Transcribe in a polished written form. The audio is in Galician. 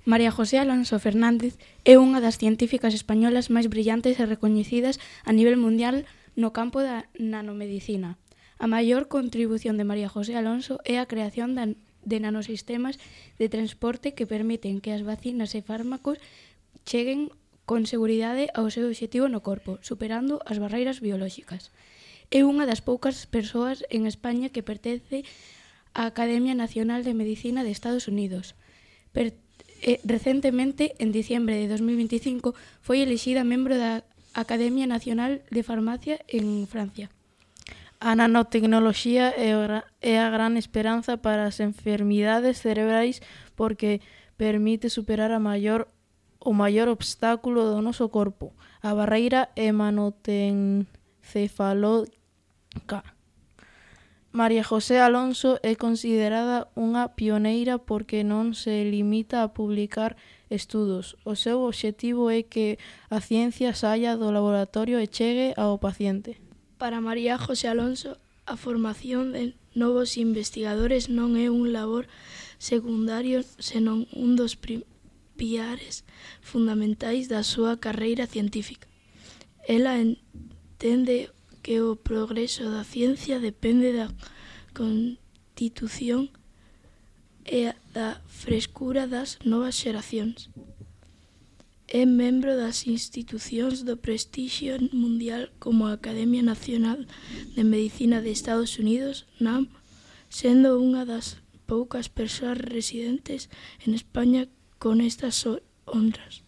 María José Alonso Fernández é unha das científicas españolas máis brillantes e recoñecidas a nivel mundial no campo da nanomedicina. A maior contribución de María José Alonso é a creación de nanosistemas de transporte que permiten que as vacinas e fármacos cheguen con seguridade ao seu obxectivo no corpo, superando as barreiras biolóxicas. É unha das poucas persoas en España que pertence á Academia Nacional de Medicina de Estados Unidos. Recentemente, en diciembre de 2025, foi elixida membro da Academia Nacional de Farmacia en Francia. A nanotecnoloxía é a gran esperanza para as enfermidades cerebrais porque permite superar o maior obstáculo do noso corpo, a barreira hematoencefalótica. María José Alonso é considerada unha pioneira porque non se limita a publicar estudos. O seu obxectivo é que a ciencia saia do laboratorio e chegue ao paciente. Para María José Alonso, a formación de novos investigadores non é un labor secundario, senón un dos piares fundamentais da súa carreira científica. Ela entende que o progreso da ciencia depende da constitución e da frescura das novas xeracións. É membro das institucións do prestixio mundial como a Academia Nacional de Medicina de Estados Unidos, NAM, sendo unha das poucas persoas residentes en España con estas honras.